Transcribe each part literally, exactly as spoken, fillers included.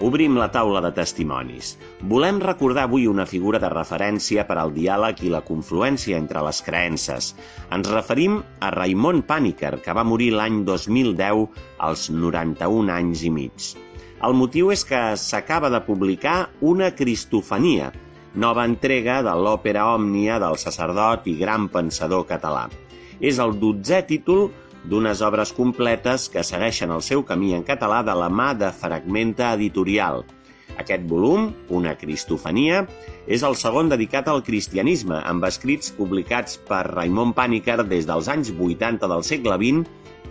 Obrim la taula de testimonis. Volem recordar avui una figura de referència per al diàleg i la confluència entre les creences. Ens referim a Raimon Panikkar, que va morir l'any dos mil deu als noranta-un anys i mig. El motiu és que s'acaba de publicar una Cristofania, nova entrega de l'òpera òmnia del sacerdot i gran pensador català. És el dotzè títol d'unes obres completes que segueixen el seu camí en català de la mà de Fragmenta Editorial. Aquest volum, una Cristofania, és el segon dedicat al cristianisme, amb escrits publicats per Raimon Panikkar des dels anys vuitanta del segle vint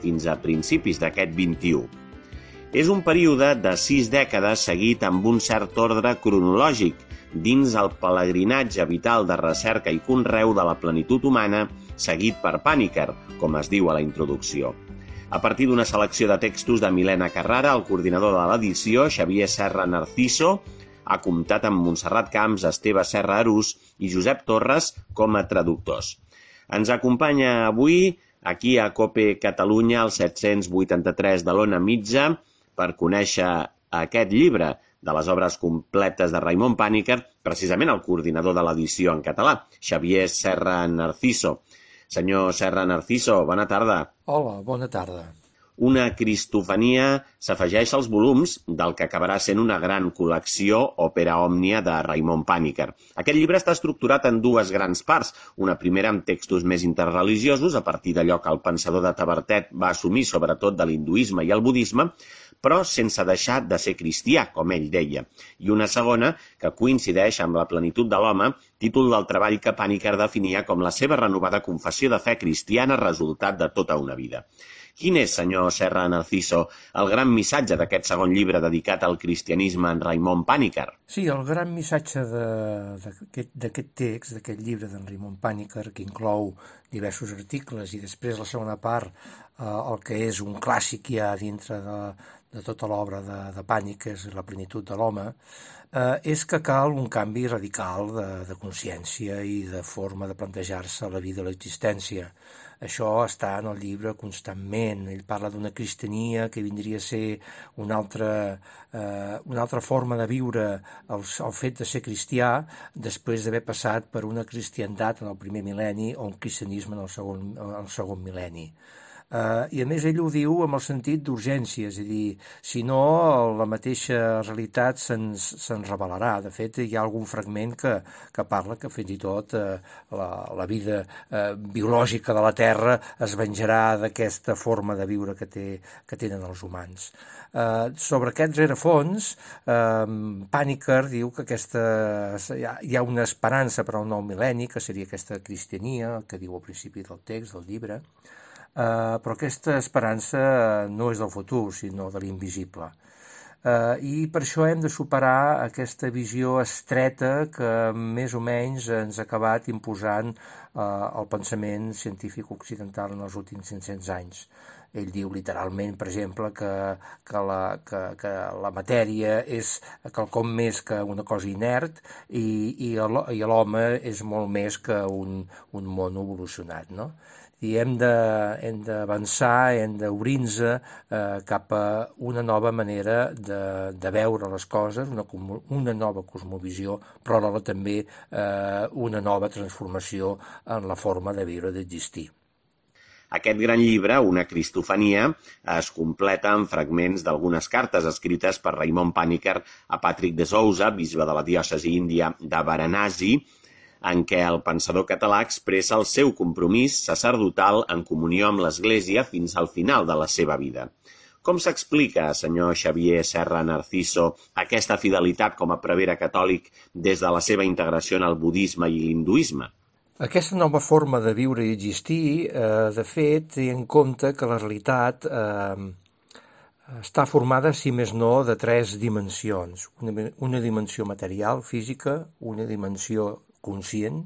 fins a principis d'aquest vint-i-u. És un període de sis dècades seguit amb un cert ordre cronològic dins el pelegrinatge vital de recerca i conreu de la plenitud humana seguit per Panikkar, com es diu a la introducció. A partir d'una selecció de textos de Milena Carrara, el coordinador de l'edició, Xavier Serra Narciso, ha comptat amb Montserrat Camps, Esteve Serra Arús i Josep Torres com a traductors. Ens acompanya avui, aquí a COPE Catalunya, al set-cents vuitanta-tres de l'Ona Mitja, per conèixer aquest llibre de les obres completes de Raimon Panikkar, precisament el coordinador de l'edició en català, Xavier Serra Narciso. Senyor Serra Narciso, bona tarda. Hola, bona tarda. Una Cristofania s'afegeix als volums del que acabarà sent una gran col·lecció òpera òmnia de Raimon Panikkar. Aquest llibre està estructurat en dues grans parts, una primera amb textos més interreligiosos, a partir d'allò que el pensador de Tavertet va assumir sobretot de l'hinduisme i el budisme, però sense deixar de ser cristià, com ell deia, i una segona que coincideix amb la plenitud de l'home, títol del treball que Panikkar definia com la seva renovada confessió de fe cristiana resultat de tota una vida. Quin és, senyor Serra Narciso, el gran missatge d'aquest segon llibre dedicat al cristianisme en Raimon Panikkar? Sí, el gran missatge d'aquest text, d'aquest llibre d'en Raimon Panikkar, que inclou diversos articles i després la segona part, eh, el que és un clàssic ja dintre de, de tota l'obra de, de Panikkar, és la plenitud de l'home, eh, és que cal un canvi radical de, de consciència i de forma de plantejar-se la vida i l'existència. Això està en el llibre constantment. Ell parla d'una cristiania que vindria a ser una altra, eh, una altra forma de viure el, el fet de ser cristià després d'haver passat per una cristiandat en el primer mil·lenni o un cristianisme en el segon, en el segon mil·lenni. Uh, I a més ell ho diu amb el sentit d'urgència, és a dir, si no la mateixa realitat se'ns se'ns revelarà. De fet, hi ha algun fragment que, que parla que fins i tot uh, la, la vida uh, biològica de la Terra es venjarà d'aquesta forma de viure que, té, que tenen els humans. Uh, sobre aquests rerefons, uh, Panikkar diu que aquesta, hi ha, hi ha una esperança per al nou mil·lenni, que seria aquesta cristiania, que diu al principi del text, del llibre, Uh, però aquesta esperança no és del futur, sinó de l'invisible. Uh, I per això hem de superar aquesta visió estreta que més o menys ens ha acabat imposant uh, el pensament científic occidental en els últims cinc-cents anys. Ell diu literalment, per exemple, que, que, la, que, que la matèria és quelcom més que una cosa inert i, i l'home és molt més que un, un món evolucionat, no? I hem d'avançar, hem d'obrir-nos eh, cap a una nova manera de, de veure les coses, una, una nova cosmovisió, però alhora també eh, una nova transformació en la forma de viure, d'existir. Aquest gran llibre, una Cristofania, es completa amb fragments d'algunes cartes escrites per Raimon Panikkar a Patrick de Souza, bisbe de la diòcesi índia de Varanasi, en què el pensador català expressa el seu compromís sacerdotal en comunió amb l'Església fins al final de la seva vida. Com s'explica, senyor Xavier Serra Narciso, aquesta fidelitat com a prevere catòlic des de la seva integració en el budisme i l'hinduisme? Aquesta nova forma de viure i existir, eh, de fet, té en compte que la realitat eh, està formada, si més no, de tres dimensions. Una, una dimensió material, física, una dimensió conscient,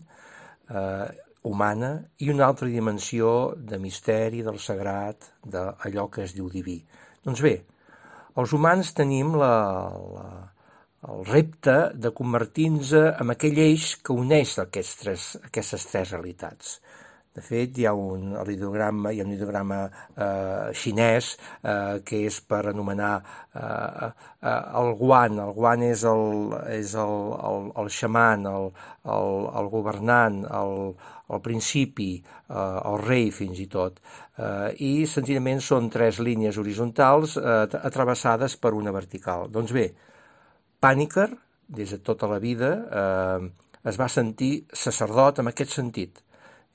eh, humana, i una altra dimensió de misteri, del sagrat, d'allò que es diu diví. Doncs bé, els humans tenim la, la, el repte de convertir-nos en aquell eix que uneix aquests tres, aquestes tres realitats. De fet, hi ha un ideograma, hi ha un ideograma eh, xinès eh, que és per anomenar eh, eh, el guan. El guan és el, és el, el, el xaman, el, el, el governant, el, el principi, eh, el rei fins i tot. Eh, I senzillament són tres línies horitzontals eh, atravessades per una vertical. Doncs bé, Panikkar, des de tota la vida, eh, es va sentir sacerdot en aquest sentit.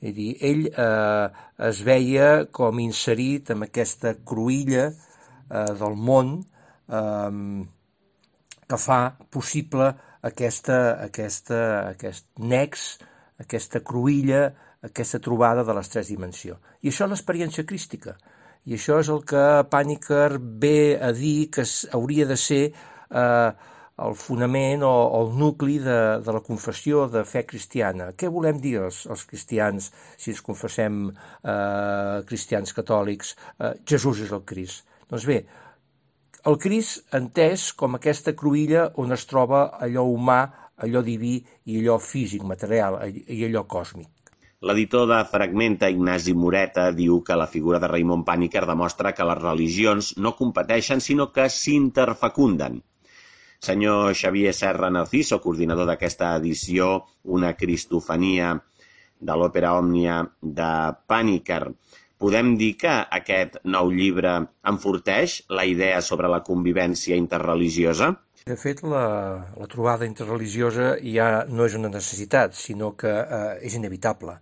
És a dir, ell eh, es veia com inserit en aquesta cruïlla eh, del món eh, que fa possible aquesta, aquesta, aquest nex, aquesta cruïlla, aquesta trobada de les tres dimensions. I això és l'experiència crística. I això és el que Panikkar ve a dir que hauria de ser eh, el fonament o, o el nucli de, de la confessió de fe cristiana. Què volem dir els, els cristians si ens confessem eh, cristians catòlics? Eh, Jesús és el Crist. Doncs bé, el Crist entès com aquesta cruïlla on es troba allò humà, allò diví i allò físic, material, i allò còsmic. L'editor de Fragmenta, Ignasi Moreta, diu que la figura de Raimon Panikkar demostra que les religions no competeixen, sinó que s'interfecunden. Senyor Xavier Serra Narciso, coordinador d'aquesta edició, Una cristofania de l'òpera òmnia de Panikkar, podem dir que aquest nou llibre enforteix la idea sobre la convivència interreligiosa? De fet, la, la trobada interreligiosa ja no és una necessitat, sinó que eh, és inevitable.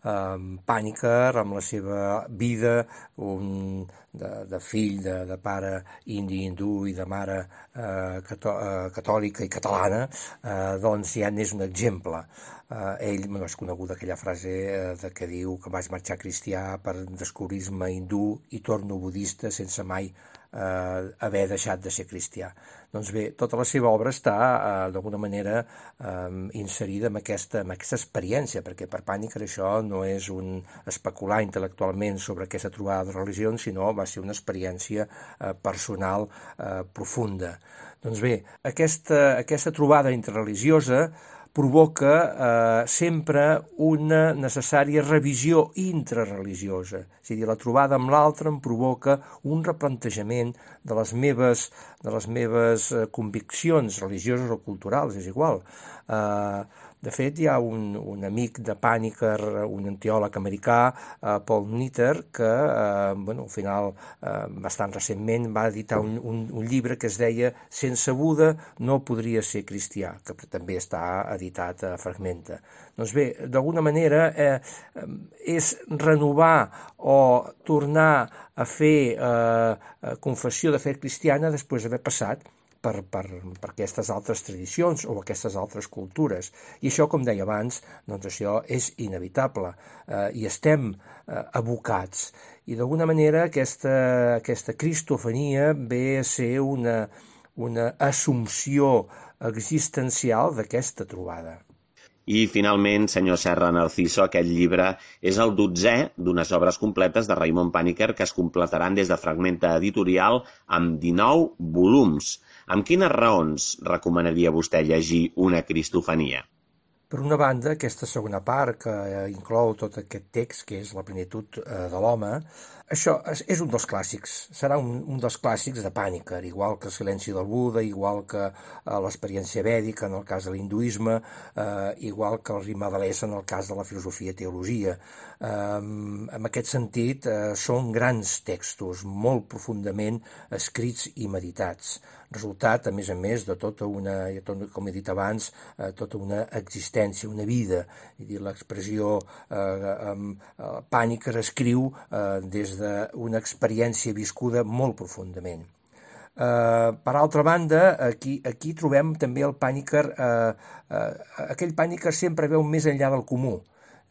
Um, Panikkar, amb la seva vida un, de, de fill, de, de pare indi hindú i de mare eh, catò, eh, catòlica i catalana, eh, doncs ja n'és un exemple. Eh, ell, no és coneguda aquella frase eh, de que diu que vaig marxar cristià per descobrir-me hindú i torno budista sense mai eh, haver deixat de ser cristià. Doncs bé, tota la seva obra està eh, d'alguna manera eh, inserida en aquesta, en aquesta experiència, perquè per Panikkar això no és un especular intel·lectualment sobre aquesta trobada de religions, sinó va ser una experiència eh, personal eh, profunda. Doncs bé, aquesta, aquesta trobada interreligiosa provoca eh, sempre una necessària revisió intrareligiosa. És a dir, la trobada amb l'altre em provoca un replantejament de les meves, de les meves conviccions religioses o culturals, és igual. Eh, de fet, hi ha un, un amic de Panikkar, un teòleg americà, eh, Paul Nitter, que eh, bueno, al final, eh, bastant recentment, va editar un, un, un llibre que es deia Sense Buda no podria ser cristià, que també està editat a Fragmenta. Doncs bé, d'alguna manera eh, és renovar o tornar a fer eh, confessió de fe cristiana després d'haver passat Per, per, per aquestes altres tradicions o aquestes altres cultures. I això, com deia abans, doncs això és inevitable eh, i estem eh, abocats. I d'alguna manera aquesta, aquesta cristofania ve a ser una, una assumpció existencial d'aquesta trobada. I, finalment, senyor Serra Narciso, aquest llibre és el dotzè d'unes obres completes de Raimon Panikkar que es completaran des de Fragmenta Editorial amb dinou volums. Amb quines raons recomanaria vostè llegir Una cristofania? Per una banda, aquesta segona part que inclou tot aquest text, que és la plenitud de l'home, això és un dels clàssics, serà un, un dels clàssics de Panikkar, igual que el silenci del Buda, igual que eh, l'experiència vèdica en el cas de l'hinduisme, eh, igual que el Rimadales en el cas de la filosofia i teologia. Eh, en aquest sentit, eh, són grans textos, molt profundament escrits i meditats, resultat, a més a més, de tota una, com he dit abans, eh, tota una existència, una vida. És dir, l'expressió eh, eh, Panikkar escriu eh, des d'una experiència viscuda molt profundament. Uh, per altra banda, aquí, aquí trobem també el Panikkar, uh, uh, aquell Panikkar sempre veu més enllà del comú.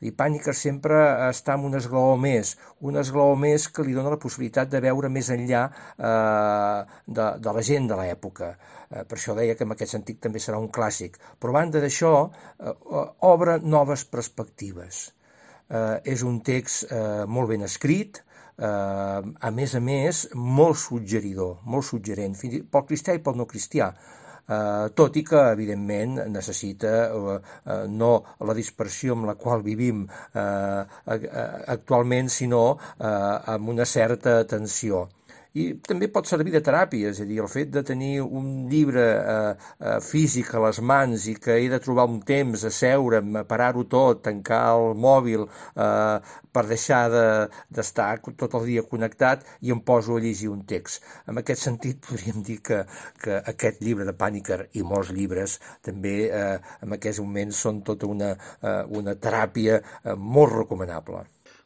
I Panikkar sempre està en un esglaó més, un esglaó més que li dona la possibilitat de veure més enllà uh, de, de la gent de l'època. Uh, per això deia que en aquest sentit també serà un clàssic. Però a banda d'això, uh, uh, obre noves perspectives. Uh, és un text uh, molt ben escrit, Uh, a més a més, molt suggeridor, molt suggerent, fins i tot pel cristià i pel no cristià. eh, tot i que, evidentment, necessita eh, no la dispersió amb la qual vivim eh, actualment, sinó eh, amb una certa atenció. I també pot servir de teràpia, és a dir, el fet de tenir un llibre eh, eh, físic a les mans i que he de trobar un temps, asseure'm, parar-ho tot, tancar el mòbil eh, per deixar d'estar de, tot el dia connectat i em poso a llegir un text. En aquest sentit podríem dir que, que aquest llibre de Panikkar i molts llibres també eh, en aquests moments són tota una, eh, una teràpia eh, molt recomanable.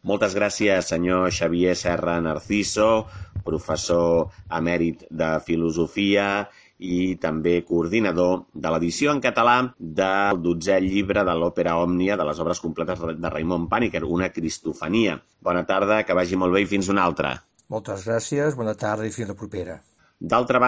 Moltes gràcies, senyor Xavier Serra Narciso, professor emèrit de Filosofia i també coordinador de l'edició en català del dotzè llibre de l'òpera Òmnia, de les obres completes de Raimon Panikkar, una cristofania. Bona tarda, que vagi molt bé i fins una altra. Moltes gràcies, bona tarda i fins la propera. D'altra banda,